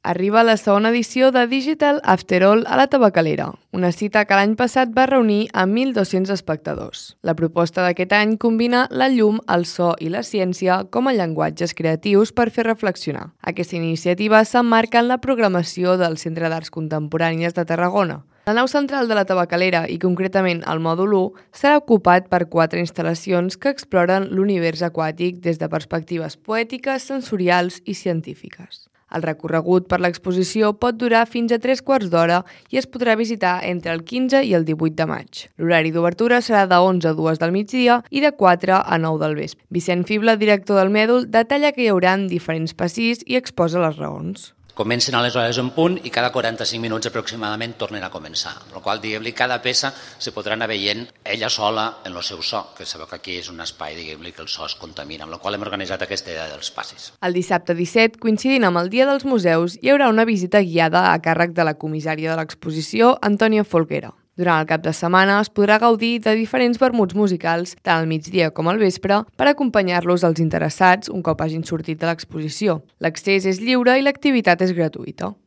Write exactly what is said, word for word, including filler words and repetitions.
Arriba la segona edició de Digital After All a la Tabacalera, una cita que l'any passat va reunir a mil dos-cents espectadors. La proposta d'aquest any combina la llum, el so i la ciència com a llenguatges creatius per fer reflexionar. Aquesta iniciativa s'emmarca en la programació del Centre d'Arts Contemporànies de Tarragona. La nau central de la Tabacalera, i concretament el mòdul u, serà ocupat per quatre instal·lacions que exploren l'univers aquàtic des de perspectives poètiques, sensorials i científiques. El recorregut per l'exposició pot durar fins a tres quarts d'hora i es podrà visitar entre el quinze i el divuit de maig. L'horari d'obertura serà de onze a dues del migdia i de quatre a nou del vespre. Vicent Fibla, director del mèdul, detalla que hi haurà diferents passís i exposa les raons. Comencen a les hores en punt i cada quaranta-cinc minuts aproximadament tornen a començar. Amb la qual cosa, cada peça se podrà anar veient ella sola en el seu so, que sabeu que aquí és un espai diguem-li que el so es contamina, amb la qual hem organitzat aquesta idea dels passis. El dissabte disset, coincidint amb el Dia dels Museus, hi haurà una visita guiada a càrrec de la comissària de l'exposició, Antònia Folguera. Durant el cap de setmana es podrà gaudir de diferents vermuts musicals, tant al migdia com al vespre, per acompanyar-los als interessats un cop hagin sortit de l'exposició. L'accés és lliure i l'activitat és gratuïta.